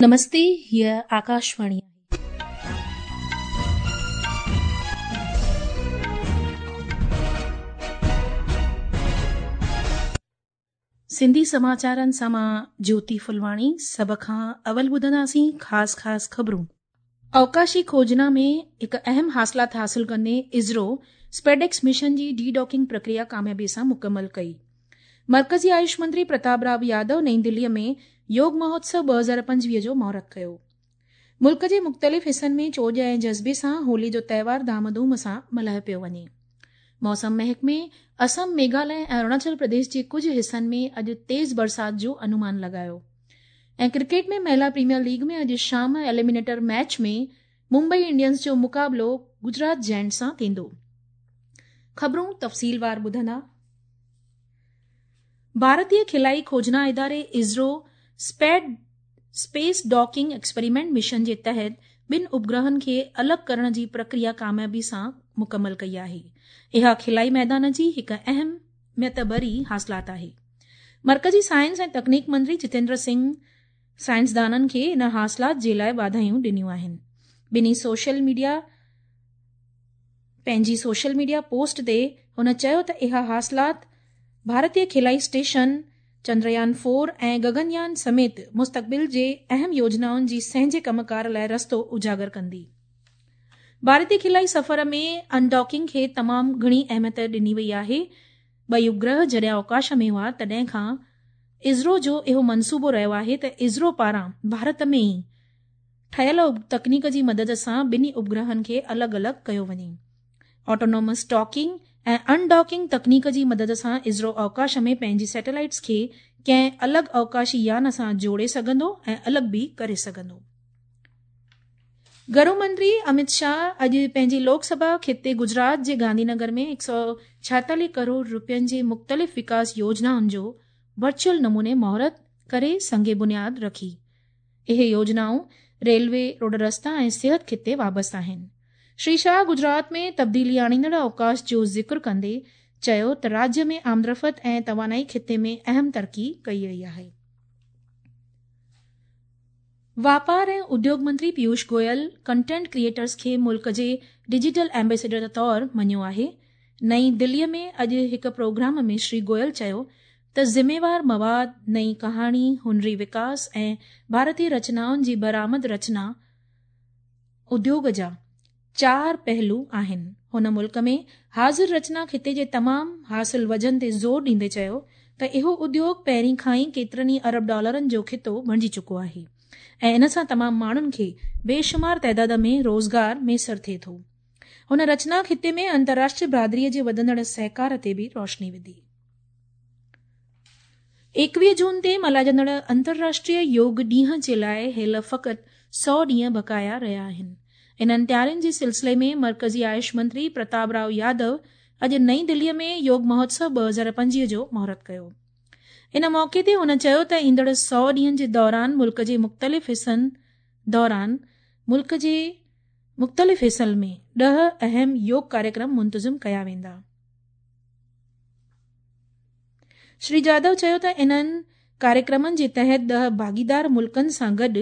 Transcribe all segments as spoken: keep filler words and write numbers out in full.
نمستي، هيء آڪاشواڻي. سنڌي سماچارن سان مان جيوتي ڦلواڻي. سڀ کان اول ٻڌنداسين خاص خاص خبرون. اوڪاشي کوجنا ۾ هڪ اهم حاصلات حاصل ڪندي اسرو اسپيڊيڪس مشن جي ڊي ڊاڪنگ پرڪريا ڪاميابي سان مڪمل ڪئي. مرڪزي آيوش منتري پرتاپ راؤ يادو نئين دلي ۾ يوگ مهوتسو ٻه هزار پنجويهه جو مهورت ڪيو. ملڪ جي مختلف حصن ۾ چوڄ ۽ جذبي سان هولي جو تهوار ڌام ڌوم سان ملهايو پيو وڃي. موسم محڪمي اسم، ميگهاليه ۽ اروناچل پرديش جي ڪجهه حصن ۾ اڄ تيز برسات جو انومان لڳايو. ۽ ڪرڪيٽ ۾ مهلا پريميئر ليگ ۾ اڄ شام ايليمينيٽر ميچ ۾ ممبئي انڊينز جو مقابلو گجرات جائنٽس سان ٿيندو. خبرون تفصيلوار ٻڌندا. ڀارتيه خلائي کوجنا اداري ISRO speed space docking experiment mission جي تحت ٻن اپگرهن کي الڳ ڪرڻ جي پرڪريا ڪاميابي سان مڪمل ڪئي آهي. اها خلائي ميدان جي هڪ اهميت ڀري حاصلات آهي. مرڪزي سائنس ۽ تڪنيڪ منتري جتيندر سنگهه سائنسدانن کي ان حاصلات جي لاءِ واڌايون ڏنيون آهن. ٻنهي سوشل ميڊيا پنهنجي سوشل ميڊيا پوسٽ تي هن چيو ته اها حاصلات ڀارتيه خلائي اسٽيشن چندريان فور ۽ گگنيان سميت مستقبل جي اهم يوجنائن جي سهنجي ڪمڪار لاءِ رستو اجاگر ڪندي. ڀارتيه خلائي سفر ۾ انڊاڪنگ کي تمام گهڻي اهميت ڏني وئي آهي. ٻئي اپگرهه جڏهن اوڪاش ۾ هئا تڏهن کان اسرو جو اهو منصوبو رهيو آهي ته اسرو پاران ڀارت ۾ ئي ٺهيل تڪنيڪ جي مدد سان ٻنهي اپگرهن کي الڳ الڳ ڪيو وڃي. آٽونومس ڊاڪنگ ۽ انڊاڪنگ تڪنيڪ جي مدد سان اسرو اوڪاش ۾ پنهنجي سيٽلائيٽس کي ڪنهن الڳ اوڪاشي يان سان جوڙي سگهندو ۽ الڳ به ڪري سگهندو. گهرو منتري امت شاهه اڄ پنهنجي لوڪ سڀا خطي گجرات جي گانڌي نگر ۾ هڪ سؤ ڇائيتاليهه ڪروڙ رپين جي مختلف وڪاس يوجنائن جو ورچوئل نموني مهورت ڪري سنگ بنياد رکي. اهي يوجنائون ريلوي، روڊ رستا ۽ صحت خطي وابسته آهن. شري شاهه گجرات ۾ تبديلي آڻيندڙ اوڪاش جو ذڪر ڪندي چيو ته راجيه ۾ آمدرفت ۽ توانائي خطي ۾ اهم ترقي ڪئي وئي آهي. واپار ۽ اديوگ منتري پيوش گويل ڪنٽينٽ ڪريئيٽرز کي ملڪ جي ڊجيٽل ايمبيسيڊر طور مڃيو آهي. نئين دلي ۾ اڄ هڪ پروگرام ۾ شري گويل چيو ته ذميوار مواد، نئين ڪهاڻي، هنري وڪاس ۽ ڀارتيه رچنائن جي برآمد رچنا اديوگ جا چار پهلو آهن. هن ملڪ ۾ حاضر رچنا خطي جي تمام حاصل وزن تي زور ڏيندي چيو ته اهو اديوگ پهرين کان ئي ڪيترن ئي ارب ڊالرن جو خطو بڻجي چڪو آهي ۽ ان سان تمام ماڻهن کي بيشمار تعداد ۾ روزگار ميسر ٿئي ٿو. هن رچنا خطي ۾ انترراشٽريه برادريءَ جي وڌندڙ سهڪار تي به روشني وڌي. ايڪويهه جون تي ملهائجندڙ انترراشٽريه يوگ ڏينهن جي لاءِ هيل فقط سؤ ڏينهن بقايا رهيا آهن. انهن تيارين جي سلسلي ۾ مرڪزي آيوش منتري پرتاپ راؤ يادو اڄ نئين دلي ۾ يوگ مهوتسو ٻه هزار پنجويهه جو مهورت ڪيو. ان موقعي تي هن چيو ته ايندڙ سؤ ڏينهن جي دوران ملڪ جي مختلف حصن دوران ملڪ جي مختلف حصن ۾ ڏهه اهم يوگ ڪاريڪرم منتظم ڪيا ويندا. شري جادو چيو ته انهن ڪاريڪرمن جي تحت ڏهه ڀاڳيدار ملڪن سان گڏ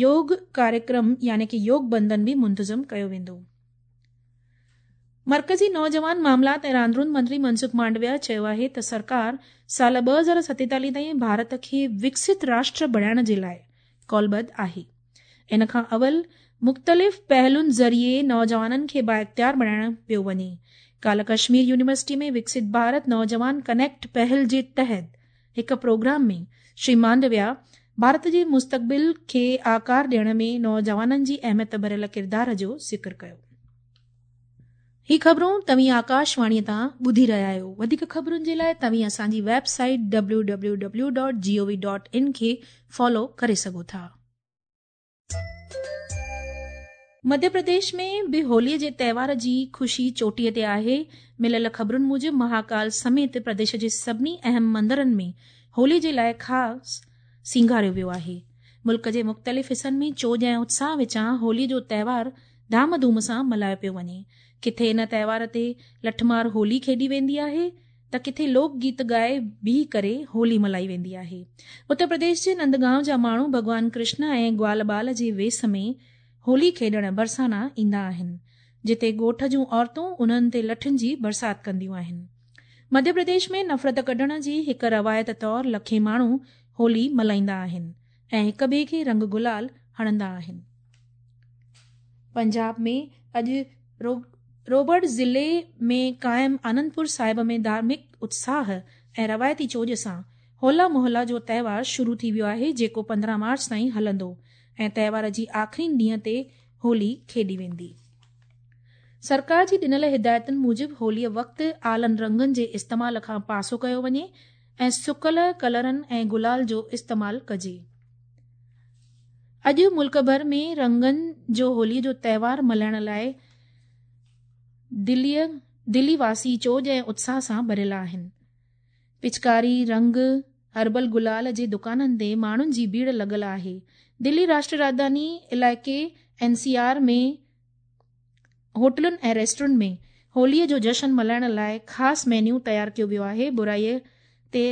يوگ ڪاريڪرم يعني ڪه يوگ بنڌن به منتظم ڪيو ويندو. مرڪزي نوجوان معاملات ۽ راندرون منتري منسک مانڊويا چيو آهي ته سرڪار سال ٻه هزار ستيتاليهه تائين ڀارت کي وڪست راشٽر بڻائڻ جي لاءِ قولبڌ آهي. ان کان اول مختلف پهلن ذريعي نوجوانن کي بااختيار بڻائڻ پيو وڃي. ڪالهه ڪشمير يونيورسٽي ۾ وڪست ڀارت نوجوان ڪنيڪٽ پهل جي تحت هڪ پروگرام ۾ شري مانڊويا ڀارت جي مستقبل کي آڪار ڏيڻ ۾ نوجوانن جي اهميت ڀريل ڪردار جو ذڪر ڪيو. هي خبرون توهين آڪاشواڻيءَ تان ٻڌي رهيا آهيو. وڌيڪ خبرن جي لاءِ توهين اسان جي website W W W dot G O V dot in کي فالو ڪري سگهو ٿا. مڌيه پرديش ۾ به هوليءَ جي تهوار جي خوشي چوٽيءَ تي آهي. مليل خبرن موجب مهاڪال سميت پرديش جي سڀني اهم مندرن ۾ هولي جي لاءِ خاص سينگاريو ويو آهي. ملڪ جي مختلف حصن ۾ چوڄ ۽ اتساهه وچان هولي جو تهوار ڌام ڌوم سان ملهايو پيو وڃي. ڪٿي ان تهوار تي لٺمار هولي کيڏي ويندي آهي ته ڪٿي لوڪ گيت ڳائي بيهي ڪري هولي ملهائي ويندي آهي. اتر پرديش جي نندگائون جا ماڻهو ڀڳوان ڪرشن ۽ گوال بال جي ويس ۾ هولي کيڏڻ برسانا ايندا آهن، جتي ڳوٺ جون عورتون انهن تي لٺين جي برسات ڪنديون آهن. مڌيه پرديش ۾ نفرت ڪڍڻ جي هڪ روايت طور لکين ماڻهو هولي ملهائيندا آهن ۽ هڪ ٻئي کي رنگ گلال هڻندا آهن. پنجاب ۾ اڄ روبڙ ضلعي ۾ قائم آنندپور صاحب ۾ ڌارمڪ اتساهه ۽ روايتي چوڄ سان هولا محلا جو تهوار شروع ٿي ويو آهي، جيڪو پندرهن مارچ تائين هلندو ۽ تهوار جي آخرين ڏينهن تي هولي کيڏي ويندي. سرڪار جي ڏنل هدايتن موجب هوليء وقت آلن رنگن جي استعمال کان پاسو ڪيو وڃي ۽ سڪل ڪلرن ۽ گلال جو استعمال ڪجي. اڄ ملڪ ڀر ۾ رنگن جو هوليء جو تهوار ملهائڻ لاءِ دليءَ دلي واسي چوڄ ۽ اتساهه سان ڀريل آهن. پچڪاري، رنگ، هربل گلال جي دڪانن تي ماڻهن جي ڀيڙ لڳل آهي. دلي راشٽريه راڄڌاني علائقي اين سي آر ۾ هوٽلن ۽ ريسٽورنٽ ۾ هوليءَ جو جشن ملهائڻ لاءِ خاص مينيو تيار ڪيو ويو آهي. برائيءَ تي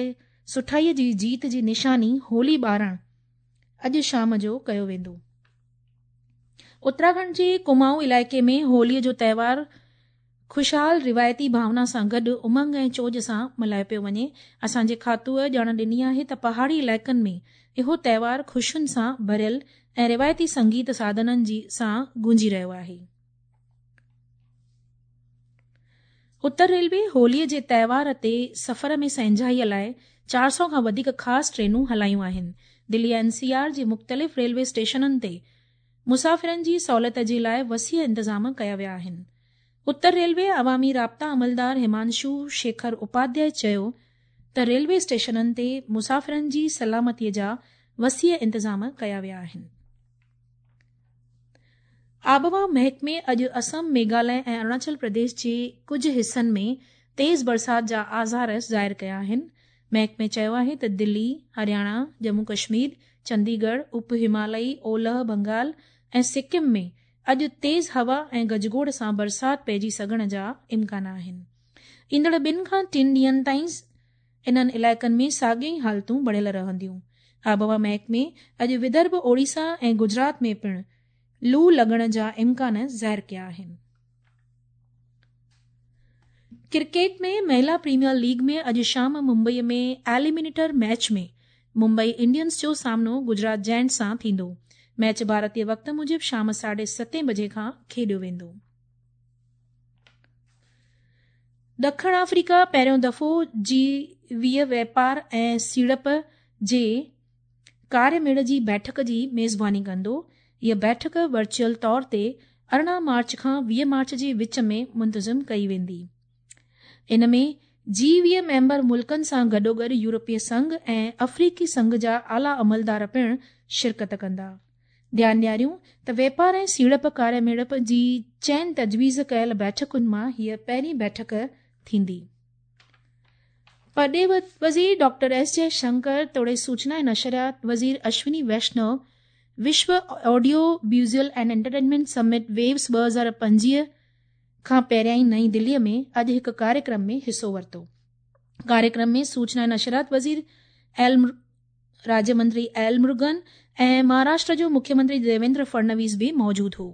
سٺائيءَ جي جيت جي نشاني هولي ٻارڻ اڄ شام جو ڪيو ويندو. اتراکنڊ جي ڪمائون علائقي ۾ هوليءَ جو تهوار خوشحال روايتي ڀاونا سان گڏ امنگ ۽ چوڄ سان ملهايو پيو وڃي. اسان جي کاتوءَ ڄاڻ ڏني آهي ته پهاڙي علائقن ۾ اهو تهوار خوشين سان ڀريل ۽ روايتي سنگيت ساڌنن جي سان گونجي رهيو آهي. اتر ريلوي هوليءَ جي تهوار تي سفر ۾ سهنجائيءَ لاءِ چار سؤ کان وڌيڪ خاص ٽرينون هلايون آهن. دلي اين سي آر جي مختلف ريلوي اسٽيشنن تي مسافرن جي سهوليت جي لاءِ وسيع انتظام ڪيا ويا آهن. اتر ريلوي عوامي رابطا عملدار همانشو شيکر اپاڌياءِ چيو ته ريلوي اسٽيشنن تي مسافرن جي سلامتيءَ جا وسيع انتظام ڪيا ويا آهن. آبهوا محڪمي اڄ اسم، ميگهاليه ۽ اروناچل پرديش جي ڪجهه حصن ۾ تيز برسات جا آثار ظاهر ڪيا آهن. محڪمي چيو آهي ته دلي، هرياڻا، ڄمون ڪشمير، چنديڳڙهه، اپ هماليائي اولهه بنگال ۽ سڪم ۾ اڄ تيز هوا ۽ گجگوڙ سان برسات پئجي سگهڻ جا امڪان آهن. ايندڙ ٻن کان ٽن ڏينهن تائين انهن علائقن ۾ ساڳيون ئي حالتون بڻيل رهنديون. آبهوا محڪمي اڄ ودرڀ، اوڙيسا ۽ گجرات ۾ پڻ لو لڳڻ جا امڪان ظاهر ڪيا آهن. ڪرڪيٽ ۾ مهلا پريميئر ليگ ۾ اڄ شام Mumbai ۾ eliminator match ۾ Mumbai Indians جو سامنو گجرات جائنٽس سان ٿيندو. ميچ ڀارتيه وقت موجب شام ساڍي ستين بجي کان کيڏيو ويندو. ڏکڻ آفريڪا پهريون دفعو جي ويهه واپار ۽ سيڙپ جي ڪاريه ميڙ جي بيٺڪ جي ميزباني ڪندو. هيءَ بيٺڪ ورچوئل طور تي ارڙهن مارچ کان ويهه مارچ جي وچ ۾ منتظم ڪئي ويندي. ان ۾ جي ويهه ميمبر ملڪن سان گڏوگڏ يورپي سنگهه ۽ آفريڪي سنگهه جا اعليٰ عملدار پڻ شرڪت ڪندا. ڌيان ڏياريون ته واپار ۽ سيڙپ ڪاريه ميڙ جي چئن تجويز ڪيل بيٺڪن مان هيءَ پهرين بيٺڪ ٿيندي. پرڏيهي وزير ڊاڪٽر ايس جئي شنڪر توڙي سوچنا ۽ نشريات وزير اشوني ويشنو وشو audio visual and entertainment summit waves ٻه هزار پنجويهه کان پهريان نئين دليءَ ۾ اڄ هڪ ڪاريڪرم ۾ حصو ورتو. ڪاريڪرم ۾ سوچنا ۽ نشريات وزير ايل راجيه منتري ايل مرگن ۽ مهاراشٽر جو مکيه منتري ديويندر فڙنويس به موجود هو.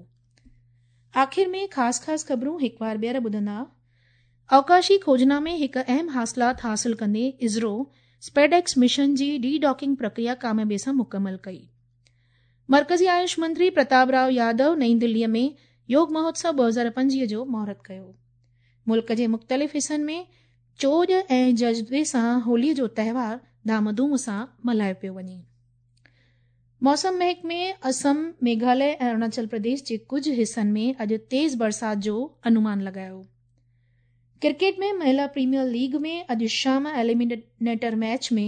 آخر ۾ خاص خاص خبرون هڪ بار ٻيهر ٻڌندا. اوڪاشي کوجنا ۾ هڪ اهم حاصلات حاصل ڪندي اسرو اسپيڊيڪس مشن جي ڊي ڊاڪنگ پرڪريا ڪاميابي سان مڪمل ڪئي. مرڪزي آيوش منتري پرتاپ رائو يادو نئين دليءَ ۾ يوگ مهوتسو ٻه هزار پنجويهه جو مهورت ڪيو. ملڪ جي مختلف حصن ۾ چوڄ ۽ جذبي سان هوليءَ جو تهوار ڌام ڌوم سان ملهايو پيو وڃي. موسم محڪمي اسم، ميگهاليه ۽ اروناچل پرديش جي ڪجهه حصن ۾ اڄ تيز برسات جو انومان لڳايو. ڪرڪيٽ ۾ مهلا پريميئر ليگ ۾ اڄ شام ايليمينيٽر ميچ ۾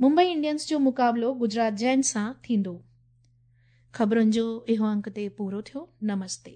ممبئي انڊينز جو مقابلو گجرات جائنٽس سان ٿيندو. خبرن جو اهو انڪ تي پورو ٿيو. نمستي.